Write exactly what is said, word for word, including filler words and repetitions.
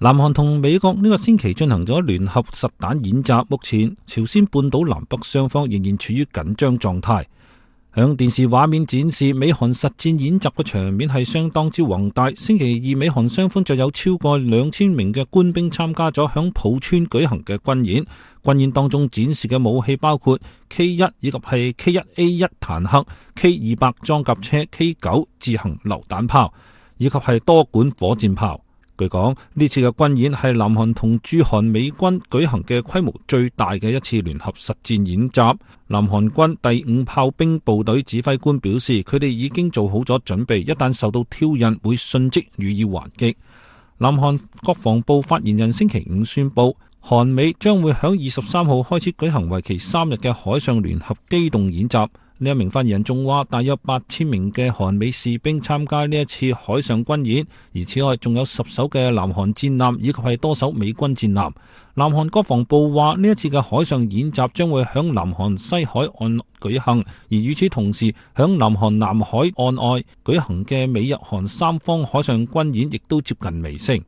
南韓同美國呢個星期進行咗聯合實彈演習，目前朝鮮半島南北雙方仍然處於緊張狀態。響電視畫面展示美韓實戰演習嘅場面係相當之宏大。星期二美韓雙方就有超過兩千名嘅官兵參加咗響浦川舉行嘅軍演。軍演當中展示嘅武器包括 K 一 以及係 K 一 A 一 坦克、K 二百 裝甲車、K 九 自行榴彈炮以及係多管火箭炮。據講，呢次嘅軍演係南韓同駐韓美軍舉行嘅規模最大嘅一次聯合實戰演習。南韓軍第五炮兵部隊指揮官表示，佢哋已經做好咗準備，一旦受到挑釁，會迅即予以還擊。南韓國防部發言人星期五宣布，韓美將會響二十三號開始舉行為期三日嘅海上聯合機動演習。呢一名發言人仲話，大約八千名嘅韓美士兵參加呢一次海上軍演，而此外仲有十艘嘅南韓戰艦以及係多艘美軍戰艦。南韓國防部話，呢一次嘅海上演習將會響南韓西海岸舉行，而與此同時，響南韓南海岸外舉行嘅美日韓三方海上軍演亦都接近尾聲。